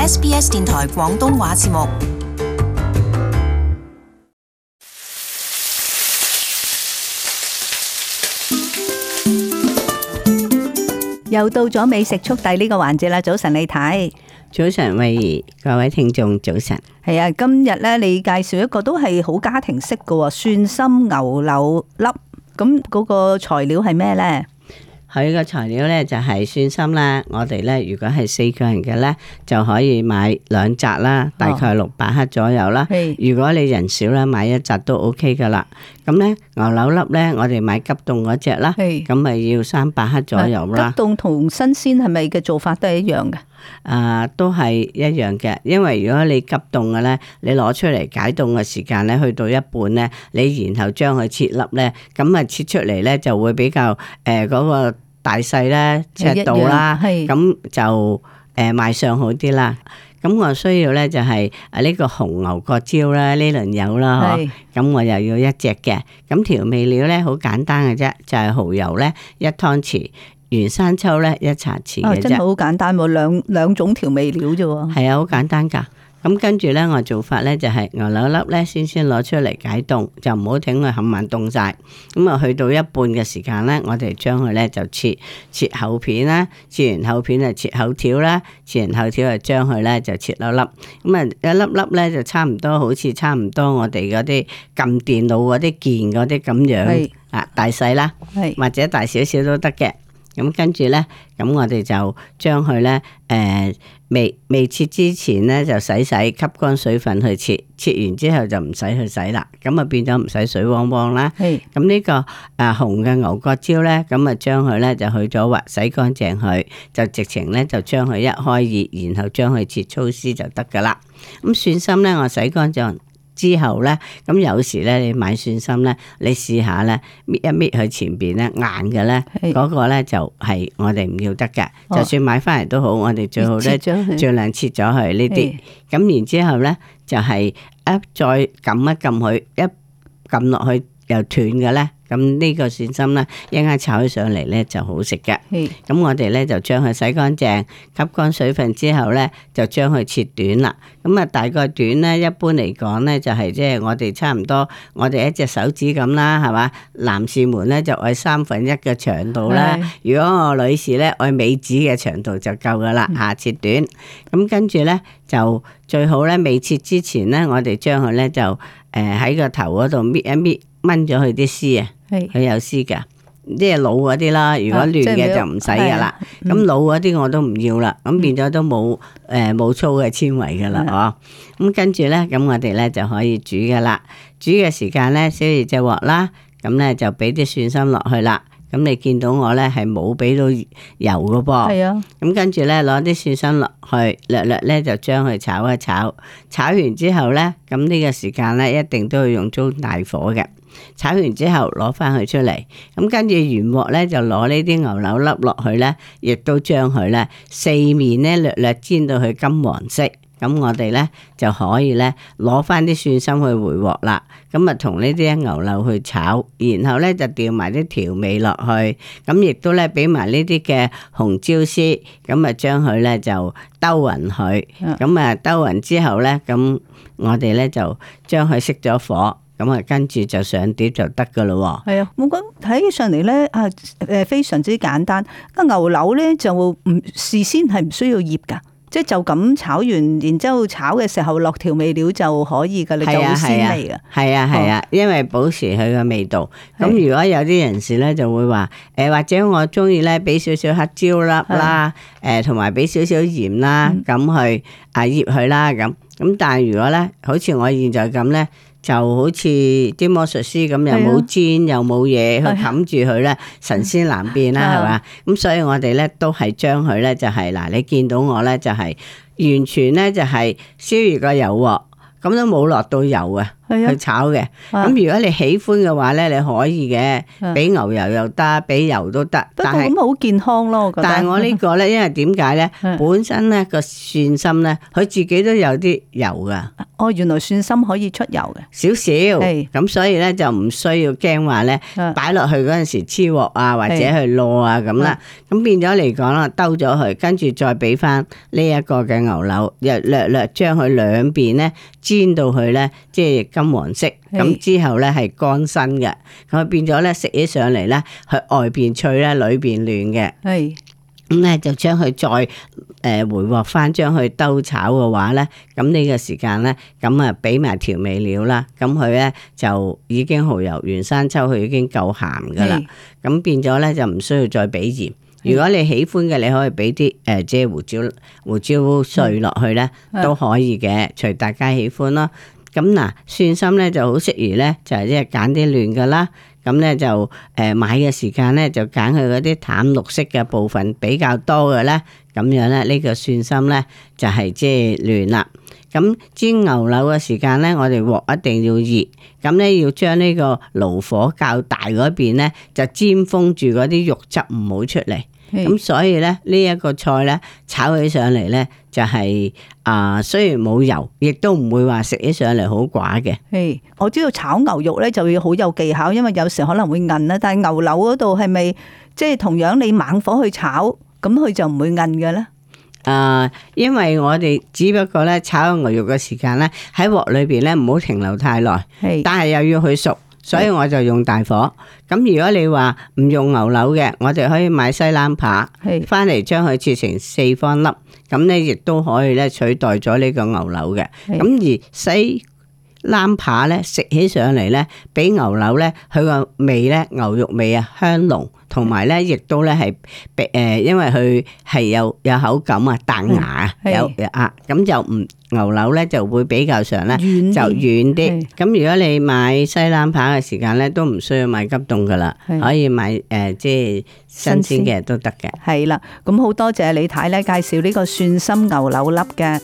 SBS 電台廣東話節目。又到咗美食速遞呢個環節啦！早晨李太，早晨慧怡，各位聽眾早晨。係啊，今日咧你介紹一個都係好家庭式嘅蒜心牛柳粒，咁嗰個材料係咩呢？佢個材料咧就係蒜心啦，我哋咧如果係4個人嘅咧，就可以買2紮啦，大概600克左右啦。如果你人少啦，買1紮都 OK 噶啦。咁咧牛柳粒咧，我哋買急凍嗰隻啦，咁咪要300克左右啦。急凍同新鮮係咪嘅做法都係一樣嘅？都係一樣嘅，因為如果你急凍嘅咧，你攞出嚟解凍嘅時間咧，去到一半咧，你然後將佢切粒咧，咁啊切出嚟咧就會比較嗰個大細咧尺度啦，咁就賣相好啲啦。咁我需要咧就係呢個紅牛角椒啦，呢輪有啦，咁我又要1隻嘅。咁調味料咧好簡單嘅啫，就係蠔油咧1湯匙。原生抽咧1茶匙嘅啫，真係好簡單喎，兩種調味料啫喎。係啊，好簡單噶。咁跟住咧，我做法咧就係牛柳粒咧先攞出嚟解凍，就唔好等佢冚唪唥凍晒。咁啊，去到一半嘅時間咧，我哋將佢咧就切厚片啦，切完厚片就切厚條啦，切完厚條就將佢咧就切粒粒。咁啊，一粒粒咧就差唔多，好似差唔多我哋嗰啲撳電腦嗰啲鍵嗰啲咁樣啊，大細啦，或者大少少都得嘅。咁跟住咧，咁我哋就將佢咧，未切之前咧就洗，吸乾水分去切，切完之後就唔使去洗啦，咁啊變咗唔使水汪汪啦。咁呢個紅嘅牛角椒咧，咁啊將佢咧就去咗核，洗乾淨佢，就直情咧就將佢一開熱，然後將佢切粗絲就得噶啦。咁蒜心咧，我洗乾淨之後咧，咁有時咧你買蒜心咧，你試下咧搣一搣佢前邊咧硬嘅咧，嗰個咧就係我哋唔要得嘅。就算買翻嚟都好，我哋最好咧盡量切咗佢呢啲。咁然之後咧就係再撳一撳佢，一撳落去又斷嘅咧。咁呢個蒜心咧，一陣間炒起上嚟咧就好食嘅。咁我哋咧就將佢洗乾淨，吸乾水分之後咧，就將佢切短啦。咁啊，大概短咧，一般嚟講咧就係即係我哋差唔多，我哋一隻手指咁啦，係嘛？男士們咧就愛1/3嘅長度啦。如果我女士咧愛尾指嘅長度就夠噶啦，切短。咁跟住咧就最好咧未切之前咧，我哋將佢咧就喺個頭嗰度搣一搣。掹咗佢啲絲啊，佢有絲噶，即係老嗰啲啦。如果嫩嘅就唔使噶啦。咁老嗰啲我都唔要啦。咁變咗都冇粗嘅纖維噶啦，咁跟住咧，咁我哋咧就可以煮噶啦。煮嘅時間咧，燒熱隻鑊啦。咁咧就俾啲蒜心落去啦。咁你見到我咧係冇俾到油噶噃。咁跟住咧攞啲蒜心落去，略咧就將佢炒一炒。炒完之後咧，咁呢個時間咧一定都要用中大火嘅。炒完之後攞翻佢出嚟，咁跟住原鑊咧就攞呢啲牛柳粒落去咧，亦都將佢咧四面咧略煎到佢金黃色，咁我哋咧就可以咧攞翻啲蒜心去回鑊啦。咁啊同呢啲牛柳去炒，然後咧就調埋啲調味落去，咁亦都咧俾埋呢啲嘅紅椒絲，咁啊將佢咧就兜勻佢，咁啊兜勻之後咧，咁我哋咧就將佢熄咗火。咁啊，跟住就上碟就得噶咯。係啊，我覺得睇起上嚟咧非常之簡單。牛柳咧就唔事先係唔需要醃噶，即係就咁炒完，然之後炒嘅時候落調味料就可以噶，你就好鮮味噶。係啊，因為保持佢嘅味道。咁如果有啲人士咧就會話，或者我中意咧俾少少黑椒粒啦，同埋俾少少鹽啦，咁去醃佢啦，咁但係如果咧，好似我現在咁咧。就好似啲魔術師咁，又冇煎又冇嘢去冚住佢咧，神仙難變啦，係嘛？咁所以我哋咧都係將佢咧就係嗱，你見到我咧就係完全咧就係燒熱個油鑊，咁都冇落到油啊，去炒嘅。咁如果你喜歡嘅話咧，你可以嘅，俾牛油又得，俾油都得。不過咁好健康咯，我覺得。但係我呢個咧，因為點解咧？本身咧個蒜心咧，佢自己都有啲油噶。哦，原來蒜心可以出油嘅，少少。咁所以咧就唔需要驚話咧，擺落去嗰陣時黐鑊啊，或者去攞啊咁啦。咁變咗嚟講啦，兜咗佢，跟住再俾翻呢一個嘅牛柳，又略將佢兩邊咧煎到佢咧，即係金黃色。咁之後咧係乾身嘅，咁變咗咧食起上嚟咧，佢外邊脆咧，裏邊嫩嘅。咁咧就將佢再回鑊翻，將佢兜炒嘅話咧，咁呢個時間咧，咁啊俾埋調味料啦，咁佢咧就已經蠔油、原生抽，佢已經夠鹹噶啦，咁變咗咧就唔需要再俾鹽。如果你喜歡嘅，你可以俾啲即係胡椒碎落去咧，都可以嘅，隨大家喜歡咯。咁嗱，蒜心咧就好適宜咧，就係即係揀啲嫩噶啦。咁咧就買嘅時間咧就揀佢嗰啲淡綠色嘅部分比較多嘅咧，咁樣咧呢個蒜心咧就係即係嫩啦。咁煎牛柳嘅時間咧，我哋鑊一定要熱，咁咧要將呢個爐火較大嗰邊咧就煎封住嗰啲肉汁唔好出嚟。咁所以咧呢一個菜咧炒起上嚟咧就係雖然冇油，亦都唔會話食起上嚟好寡嘅。我知道炒牛肉咧就要好有技巧，因為有時可能會韌啦。但係牛柳嗰度係咪即係同樣你猛火去炒，咁佢就唔會韌嘅咧？因為我哋只不過咧炒牛肉嘅時間咧喺鑊裏邊咧唔好停留太耐，但係又要去熟。所以我就用大火。咁如果你話唔用牛柳嘅，我哋可以買西冷扒，翻嚟將佢切成4方粒，咁咧亦都可以咧取代咗呢個牛柳嘅。咁而西冷扒咧食起上嚟咧，比牛柳咧佢個味咧牛肉味啊香濃，同埋咧亦都咧係因為佢係有口感啊彈牙啊，咁就唔牛柳咧就會比較上咧就軟啲。咁如果你買西冷扒嘅時間咧，都唔需要買急凍噶啦，可以買即係新鮮嘅都得嘅。係啦，咁好多謝李太咧介紹呢個蒜心牛柳粒嘅。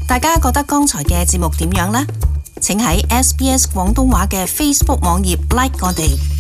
大家覺得剛才嘅節目點樣呢？請喺SBS 廣東話嘅 Facebook 網頁 like 我哋。